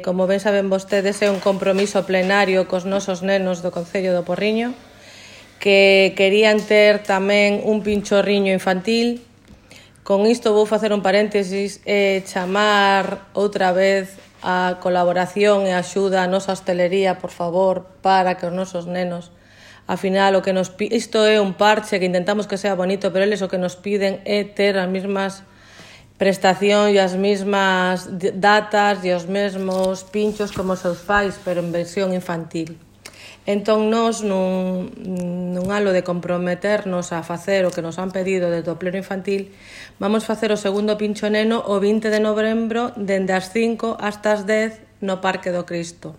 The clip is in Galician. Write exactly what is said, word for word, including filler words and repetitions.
Como ben saben vostedes, é un compromiso plenario cos nosos nenos do Concello do Porriño, que querían ter tamén un pinchorriño infantil. Con isto vou facer un paréntesis e chamar outra vez a colaboración e a axuda a nosa hostelería, por favor, para que os nosos nenos, ao final, o que nos isto é un parche que intentamos que sea bonito, pero eles o que nos piden é ter as mesmas prestación e as mesmas datas e os mesmos pinchos como os seus pais, pero en versión infantil. Entón, nós, nun, nun halo de comprometernos a facer o que nos han pedido desde o pleno infantil, vamos facer o segundo pincho neno o vinte de novembro, dende as cinco hasta as dez, no Parque do Cristo.